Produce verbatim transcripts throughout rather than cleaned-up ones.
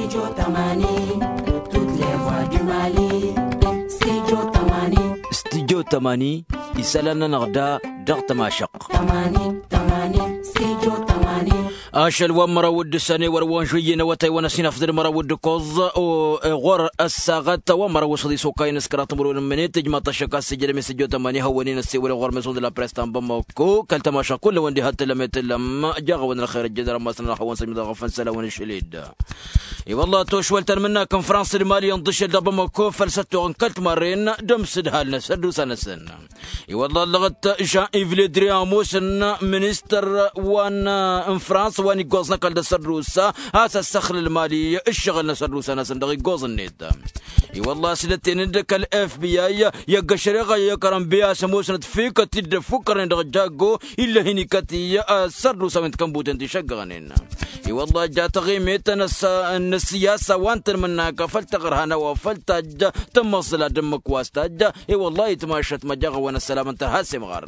Studio tămani. Studio tămani. Isălan-nănăɣ da dăɣ-tămašăq. Ašăl wa n-măraw d-săne wăr wa n-žuyyen awătay wa n-ăsinăfdăd măraw d-kăẓ. Ɣur-ăssaɣăt wa n-măraw s-ăḍisokay n-s kăraḍ timǝrwen n-mănet ijmaḍ-t ăššăk a-s ijrăm i-s ăjjo tămani hawăn-in ăssewăl ɣur-meson d-la press ta n-bamako kăl-tămašăq kull-wăn diha t-tǝllăm i-tǝllăm. Jaɣ-awăn ălxer ăjjădăr ămasăn ălxawăn săjmăḍ ăɣăfăn isălan wa n-ašăl-dd. I-wălla tošwăl ta n-imǝnnak n-frans d-mali ănḍǝšel dăɣ-bamako făll-săttoɣ n-kăl-timarren d-ămsǝdhal n-asăddusa-năsăn. I-wălla ăllăɣăt jean iv ledri ămoosăn ministăr wa n-frans wa n-iggoẓ n-ăkall d-asăddusa a-s ăssăxlăl mali ǝššăɣǝl n-asăddusa-năsăn dăɣ-iggoẓ-net. I-wălla a-s dd-ăttenăn d-kăl-f b i i-ăgg-ašăreɣ i-ăkărăn bey a-s ămoosnăt fikăt-dd ăffukkărnen dăɣ-jaggo ill'-ahin ikăt-i asărdusa wi n-tikănbuten ti šăggăɣnen. I-wălla ja taɣimet n-ăssiyasa wa n-tăn-mănnaka făll-taɣărhan a-wa făll-tajj tămmăẓẓǝl ad-dd-ǝmmǝk wa s-tajj. I-wălla itmašăt măjăɣ-awăn ăssălam n-tărha s-imɣar.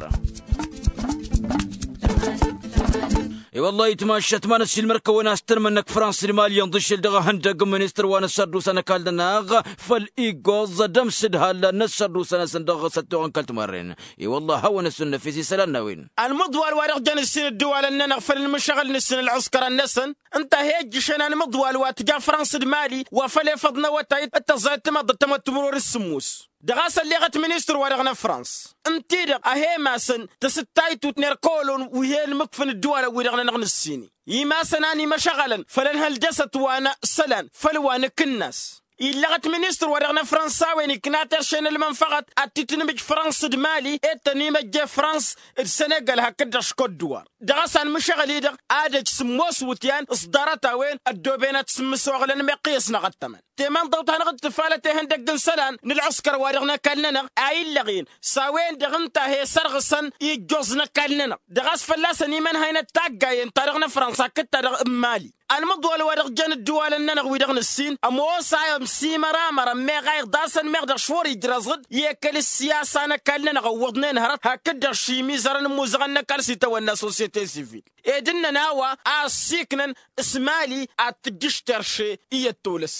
I-wălla itmašăt ma n-ăssiilmăr-kăwăn a-s tăn-mănnăk frans d-mali ănḍǝšel dăɣ-ehăndăg n-ministăr wa n-ăssărdusa n-ăkall-nănăɣ făll-iggoẓ d-ămsǝdhal n-ăssărdusa-năsăn dăɣ-săttoɣ n-kăl-timărren. I-wălla a hawăn-ăssunnăf i-s isălan n-a-wen. Ălmǝḍwal wa dăɣ-jăn ǝssin ăddǝwalăn-nănăɣ făll-inmǝššăɣǝl n-ǝssin ălɣǝskărăn-năsăn ǝnta a he-ǝjjǝšăn ălmǝḍwal wa tǝja frans d-mali wa făl efăḍ n-awătay d-tăẓẓayăt timaḍ d-ăttămăt timǝrwen s-sǝmmos. Dăɣ-a-s ălleɣăt ministăr-wa-dăɣ n-afrans ǝnta-i-dăɣ a he-masăn tǝsǝttaytut n-erkolon wi he-ălmǝkfǝn ăddǝwalăn-wi-dăɣ-nănăɣ n-ǝssin-i imasăn a n-imăšăɣălăn făll-ănhăl dăɣ-săt wa n-isălan făll-wa n-akǝnnas. Illăɣăt ministăr-wa-dăɣ n-afrans a-wen ikna terše n-ălmănfăɣăt ad-t-tǝnmǝj frans d-mali ed tăn-imăjje frans d-sănegal hakd-dăɣ škădduwar. Dăɣ-a-s anmǝšăɣăl-i-dăɣ ad-ăj sǝmmos iwǝtyan s-ḍarăt-a-wen ăddoobenăt s-ǝmmǝsoɣlăn meqqǝy ăsnăɣ ăttămăn temanḍăwt hanăɣ-dd-tǝfalăt ehăndăgg n-isălan n-ălɣǝskăr-wa-dăɣ n-ăkall-nănăɣ a illăɣ-in s-a-wen-dăɣ ǝnta a he-sărɣǝsăn ijjoẓ n-ăkall-nănăɣ. Dăɣ-a-s fălla-săn imănhăynăt taggayen-ta-dăɣ n-afrans hakd-ta-dăɣ n-mali. Ălmǝḍwal wa dăɣ-jăn ǝddǝwalăn-nănăɣ-wi-dăɣ nǝssin ămoos a ămsimăramărăn meɣ a iḍasăn meɣ dăɣ-šwăr ijrăẓ-dd i-ekăl ǝssiyasa n-ăkall-nănăɣ ǝwwăḍnen hărăt hakd-dăɣ šimizărăn ǝmmuzăɣăn n-ăkall s-itawănna sosyete sivil. Ed ǝnnăn a-wa a ăssiiknăn s-mali ad-tǝjjǝš terše iyyăt tolăs.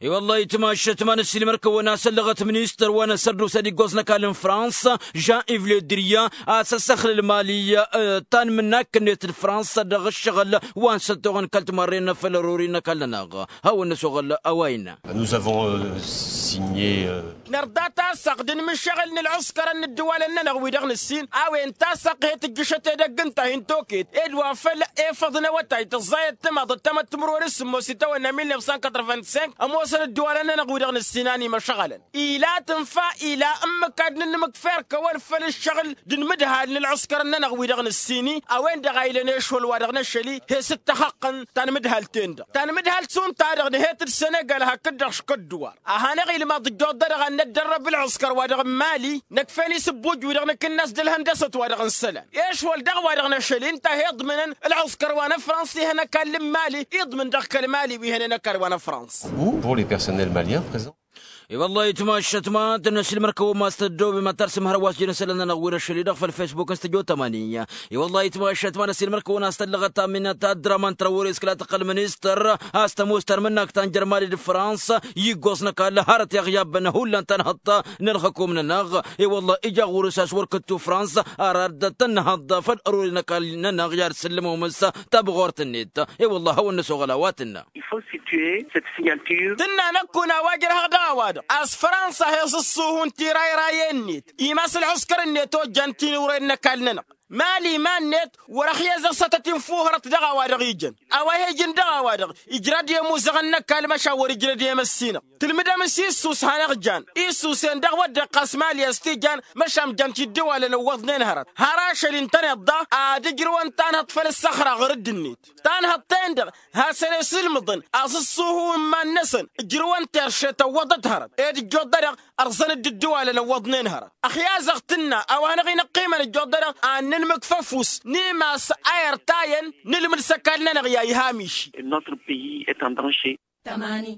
I-wăllah itmašăt ma n-ăssiilmăr-kăwăn a-s ăllăɣăt ministăr wa n-asărdusa d-iggoẓ n-ăkall n-frans jean iv ledriya a-s ăssăxlăl mali. Tanmǝnnak-net d-frans dăɣ-ǝššăɣǝl wa n-săttoɣăn kăl-timarren făll-ărori n-ăkall-nănăɣ. Hawăn-năsoɣăl a-wa innă. Nous avons signé. Nărḍa tasaɣt d-inmǝššăɣǝl n-ălɣǝskărăn n-ǝddǝwalăn-nănăɣ wi-dăɣ nǝssin a-wen tasaɣt he-tǝjjǝšăt edăgg ǝnta a hin-tokăyăt ed wa făl efăḍ n-awătay tǝẓẓayăt timaḍ d-tamăttǝmrăwăn s-sǝmmos itawănna mil neuf cent quatre-vingt-cinq ămoosăn ǝddǝwalăn-nănăɣ wi-dăɣ nǝssin a n-imăšɣălăn. Ila tǝnfa ila ǝmmǝk ad-nǝnmǝkfer kăwăn făll-ǝššăɣǝl d-inmǝdhal n-ălɣǝskărăn-nănăɣ wi-dăɣ nǝssin-i a-wen-dăɣ a ilăn ešwăl wa dăɣ-năšăl-i he-s ǝttăxăqqăn tanmǝdhalt-en-dăɣ tanmǝdhalt šund-ta-dăɣ nǝhet-dd senegal hakd-dăɣ škădduwar. A hanăɣ-ilmăḍ ǝjjuḍ-dăɣ ad-năddărrăb ǝlɣǝskăr wa dăɣ-n mali năkf'-en isǝbbuj wi-dăɣ nǝkǝnnas d-ălhăndăsăt wa dăɣ-n isălan i-ešwăl daɣ wa dăɣ-năšăl-i ǝnta a he-iḍmǝnăn ălɣǝskăr wa n-afrans wi hăn ăkall n-mali iḍmǝn dăɣ-kăl-mali wi hănen ăkall wa n-afrans. Pour les personnels maliens présents. I-wăllah itmašăt ma tăn-ăsilmăr-kăwăn ma s-tăddoobem ad-tarsǝm hărwa s-jăn isălan-nănăɣ wi n-ašăl-i-dăɣ făll-facebook n-studio tămani. I-wăllah itmašăt ma n-ăsilmăr-kăwăn a-s tăllăɣăt aminăt ad-dăr-aman tărăwăre s-kǝla tăqqăl ministăr a-s tămoos tarmǝnnakt ta n-jărmali d-frans iggoẓ n-ăkall hărăt i-aɣyabăn hullan tanhăḍt n-ălxǝkum-nănăɣ. I-wăllah ija ɣur-s a-s wăr kǝttu frans ar ad-tănnăhăḍ făll-ărori n-ăkall-nănăɣ i-ad-sǝllǝmăwăm s-tabɣort-net. I-wăllah a hawăn-năsoɣăl a-wa tǝnnă. Tǝnna năkkun a-wa jărhăɣ dăɣ-a-wa-dăɣ a-s frans a he-sǝssuhun tirayrayen-net imas ǝlɣǝskăr-net ojjan tinǝwren n-ăkall-nănăɣ. Mali iman-net wăr-ăxyăzăɣ s-ad-tăt-infuhărăt dăɣ-a-wa-dăɣ ijăn a-wa he-ijǝn dăɣ-a-wa-dăɣ ijrăd i-ămuzăɣăn n-ăkall măšan wăr-ǝjrăd i-emăssinăɣ. Tǝlmǝdăm s-issus hanăɣ-jan issusen dăɣ-wădden ɣas mali a-s t-ijan măšan jan-t iddǝwalăn ǝwwăḍnen hărăt har ašăl-i ǝntăneḍ daɣ ad-ǝjrǝwăn tanhăḍt făll-ǝssăxra ɣur-dd-net. Tanhăḍt-en-dăɣ hasăn-esǝlmǝḍăn asǝssuhu n-iman-năsăn ǝjrǝwăn terše tăwwăḍăt hărăt ed ǝjjuḍ-dăɣ ărẓăn-dd ǝddǝwalăn ăwwăḍnen hărăt. Ăxyazăɣ tǝnna a-wa hanăɣ-inăqqimăn ǝjjuḍ-dăɣ ad-nǝnmǝkfăfus n-imas a irtayăn nǝlmǝd s-ăkall-nănăɣ i-a iha miši. Notre pays est en danger. Tămani.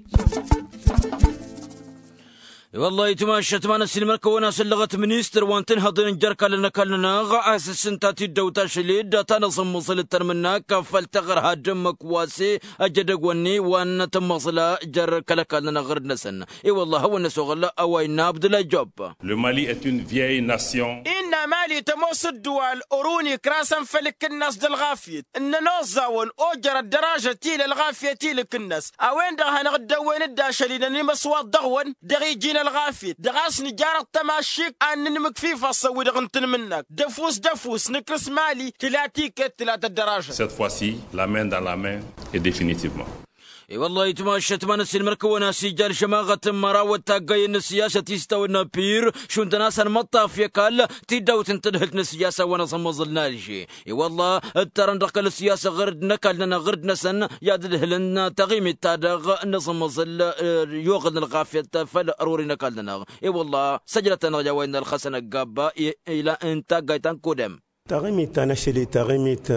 I-wăllah itmašat ma n-ăssiilmăr-kăwăn-asăllăɣăt ministăr wa n-tinhăḍen n-jer-kallăn ăkall-nănăɣ a-s ǝssǝnta tiddăwt ašăl-i-dd ta n-aẓǝmmăẓǝl d-tanmǝnnak. Făll-teɣăr haddǝmmăk wa s-e ăjădăgg-wănni wa n-tǝmmăẓǝla jer-kăl-ăkall-nănăɣ ɣǝrǝd-năsăn. I-wăllah a hawăn-năsoɣăl a-wa innă abdullah jobb. Le mali est une vieille nation. Innă mali tămoos ǝddǝwal ărun ikra-săn făll-ikǝnnas d-ălɣafyăt ǝnnăn oẓẓawăn ojăr ăddăražăt-i-lălɣafyăt-i-lăkǝnnas. A-wen-dăɣ hanăɣ-dd-ăwwen-dd ašăl-i-năn imǝswaḍ dăɣ-wăn dăɣ-iji n-ălɣafyăt dăɣ-a-s nǝjarăḍ tămaššikt ad-nǝnmǝkfif asăwwi-dăɣ n-tanmǝnnak d-ăfuss d-ăfuss nǝkrǝs mali tǝla tiket tǝla tăddăražăt. Cette fois-ci, la main dans la main et définitivement. I-wăllah itmašat ma n-ăssiilmăr-kăwăn-as ija ălžămaɣăt n-mărawăt taggayăn n-ăssiyasăt i-s tawănna pir šund-tăn a-s ănmăṭṭaf i-ăkall tiddawt n-tadhǝlt n-ăssiyasa wa n-aẓǝmmăẓǝl n-alže. I-wălla ǝttărăn dăɣ-kăl-ăssiyasă ɣǝrd n-ăkall-nănăɣ ɣǝrd-năsăn i-ad-ǝdhǝlăn taɣimit-ta-dăɣ n-aẓǝmmăẓǝl. I-oɣǝl n-ălɣafyăt făll-ărori n-ăkall-nănăɣ. I-wălla săjdăt-anăɣ i-a-wa innă ălxăsăn ăggabba ila n-taggayt ta n-kudăm. Taɣimit ta n-ašăl-i taɣimit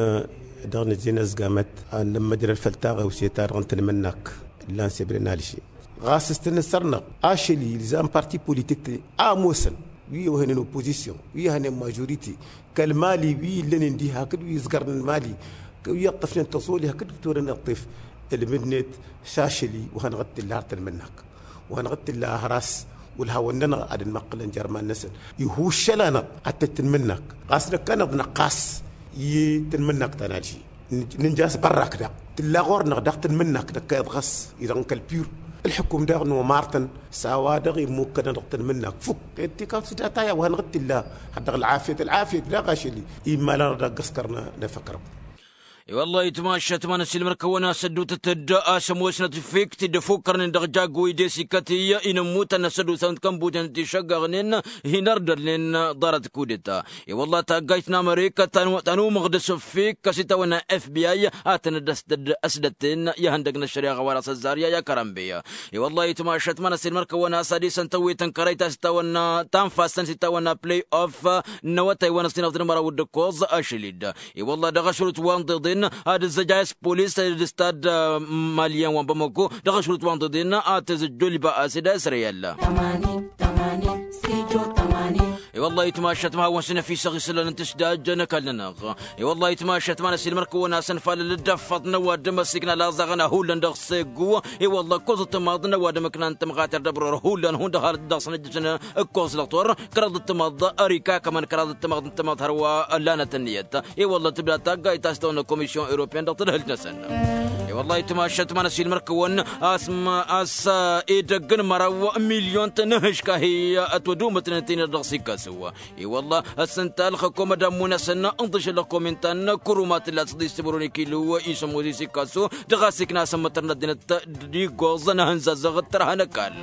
dăɣ-nǝzzin ăzgamăt ad-nǝmmăjrăd făll-taɣewse-ta-dăɣ n-tanmǝnnak. Ǝllan sebren alže ɣas s-tăn-ǝssărnăɣ ašăl-i ilzam parti politik-ti a ămoosăn wi ăwhănen opozisyon wi ăhănen mažorite kăl-mali wi illănen diha hakd wi ǝzgărnen mali wi ǝṭṭăfnen tăẓoli hakd wi t-wăren iṭṭif. Ǝlmǝdnet s-ašăl-i wa hanăɣ-t-tǝlla har tăn-imǝnnak wa hanăɣ-t-tǝlla ahăr-as wăl hawăn-nănăɣ ad-ănmăqqǝlăn jer-iman-năsăn. Ihuššăl-anăɣ ad-tăt-tăn-imǝnnak ɣas năkk-anăɣ d-năqqas i-tăn-imǝnnak ta n-alži. Nǝnja a-s bărrak daɣ tǝlla ɣur-năɣ daɣ tăn-imǝnnak năkk a iḍɣăs-i-dăɣ n-kăl-pur. Ǝlḥǝkum daɣ nomar-tăn s-a-wa-dăɣ immukkănăn dăɣ-tăn-imǝnnak fukk. Ed tikawt s-data i-a-wa hanăɣ-t-tǝlla har dăɣ-ălɣafyăt ălɣafyăt daɣ ašăl-i immal-anăɣ daɣ ăggăskăr n-efăkrăw. I-wăllah itmašat ma n-ăssiilmăr-kăwăn-asăddutăt-dd a-s ămoosnăt fik-t-dd ăfukkărnen dăɣ-jaggu-i d-e-s ikat-i inǝmmutăn n-asăddusa wǝnta kănbuten d-išăggăɣnen hin-ărdălnen ḍarăt kudeta. I-wăllah taggayt n-amărika ta n-umăɣdăs fik-kăs itawănna fbi a tăn-dd-ăsdăt ăsdătten i-ihăndăg n-ăššăreɣa wa dăɣ-s ăzzarya i-akărambe. I-wăllah itmašat ma n-ăssiilmăr-kăwăn-asăd isăn tăwwet n-kărăy ta s-itawănna tanfast-tăn s-itawănna play-off n-awătay wa n-ăssinăɣ d-nămăraw d-ǝkkoẓ ašăl-i-dd. I-wălla dăɣ-ašrut wa n-ḍeḍen ad-ǝzzăj a-s polis d-stad malyen wa n-bamako dăɣ-ašrut wa n-ḍeḍen ad-tǝzzăj joliba a-s d-a-s reyal. I-wălla itmašat ma hawăn-s năfisăɣ isălan n-tǝsdaj n-ăkall-nănăɣ. I-wălla itmašat ma n-ăsilmăr-kăwăn-asăn falăl dd-ăffăḍ n-ăwadǝm ăsikna laẓaɣăn a hullan dăɣ-seggu. I-wălla ǝkkoẓ d-timaḍ n-ăwadǝm ǝknan tămɣater d-ăbror hullan hundăɣ har dăɣ-săn ǝjjǝsăn ǝkkoẓ lăɣ tor kăraḍ d-timaḍ ărikakămăn kăraḍ d-timaḍ n-timaḍ hărwa ăllanăt ǝnniyăt. I-wălla tǝbda taggayt ta s-tawănna komisyon europyen dăɣ-tadhǝlt-năsăn. I-wălla itmašat ma n-ăsilmăr-kăwăn a-s edăgg n-măraw milyon-tăn n-ihǝškah-i ătwădumătnen tinăr dăɣ-s ikkasǝw. I-wălla ăssănta ălxăkom ad-ammun-asăn ǝnḍǝšăl ălxăkom inta n-kărumat ǝlla s-ăḍis timǝrwen ikilu isămmos isikkasu dăɣ-a-s ikna asămmătăr n-ăddinăt d-iggoẓ n-ahǝnzazăɣ d-tărha n-ăkall.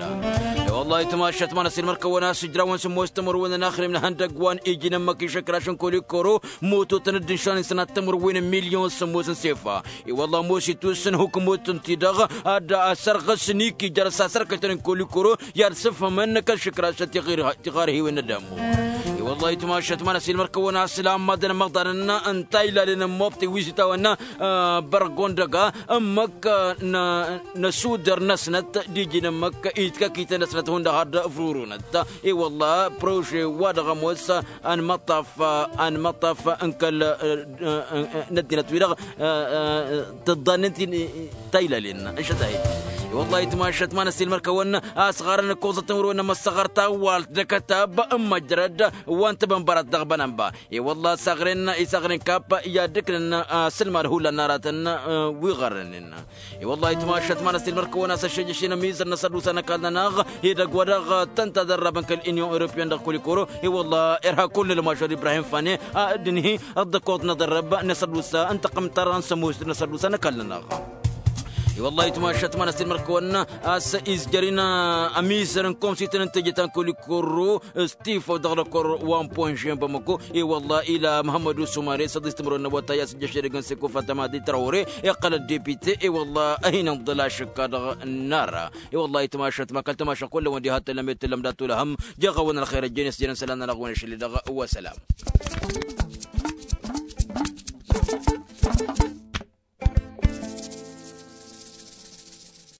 I-wălla itmašat ma n-ăsilmăr-kăwăn a-s ǝjrawăn sămmos timǝrwen n-axrem n-ihăndăgg wa n-iji n-ămmăk išǝkraš n-kolikoro mototăn dd-inšan isănat timǝrwen n-milyon sămmos n-sefa. I-wălla ămoos itus n-hukmot ǝnta-i-dăɣ ad-ăssărɣǝs n-ikija dăɣ-s asărkăytăn n-kolikoro i-ad-sǝfhǝmăn kăl-išǝkrašăn tiɣarhiwen n-ad-ămmu. I-wălla itmašat ma n-ăsilmăr-kăwăn a-s lammadăn ămăḍanăn n-taylalen n-mobti wi s-itawănna bărgondăga ămmăk n-ăsudăr-năsnăt d-iji n-ămmăk itkăkităn-năsnăt hundăɣ har d-ăvrurunăt. I-wălla prože wa dăɣ-ămoos ănmăṭṭaf ănmăṭṭaf n-kăl n-ăddinăt-wi-dăɣ tǝḍḍannen taylalen ăššăt-a-hi. I-wălla itmašat ma n-ăsilmăr-kăwăn a-s ɣarăn ǝkkoẓăt timǝrwen n-amăssăɣăr tawalt d-akătab n-măjrăd wa n-tabănbărat dăɣ-bănănba. I-wălla isaɣren isaɣren kap i-ad-ǝknăn asǝlmad hullan n-aratăn wi ɣărrănen. I-wălla itmašat ma n-ăsilmăr-kăwăn a-s ăššăjjăšen ămizăr n-asădusa n-ăkall-nănăɣ edăgg wa dăɣ-tăn-tadărrabăn kăl-inyon europyen dăɣ-kulikoro. I-wălla irha kull ălmašăr ibrahim fane ad-ǝnhi ăḍḍăkoḍ n-aḍărrăb n-asădusa n-taqǝmtăr n-sămust n-asădusa n-ăkall-nănăɣ. I-wălla itmašat ma n-ăsilmăr-kăwăn a-s izjăr-in ămizăr n-komsităn n-teje ta n-kulikoro s-tifăw dăɣ-lăkor wa n-ponže n-bamako. I-wălla ila măhămmădu sumare s-ăḍis timǝrwen n-awătay a-s ǝjjăš edăgg n-seko fatăma di trawre iqqăl-ăddepite. I-wălla a hin-inḍǝl ašǝkka dăɣ-nara. I-wălla itmašat ma kăl-tamašăɣ kull-wăn diha t-tălăm i-t-tălăm dat-olăhăm. Jeɣ-awăn ălxer ăjjeen s-jeren isălan-nănăɣ-wen ašăl-i-dăɣ. Wa sălam.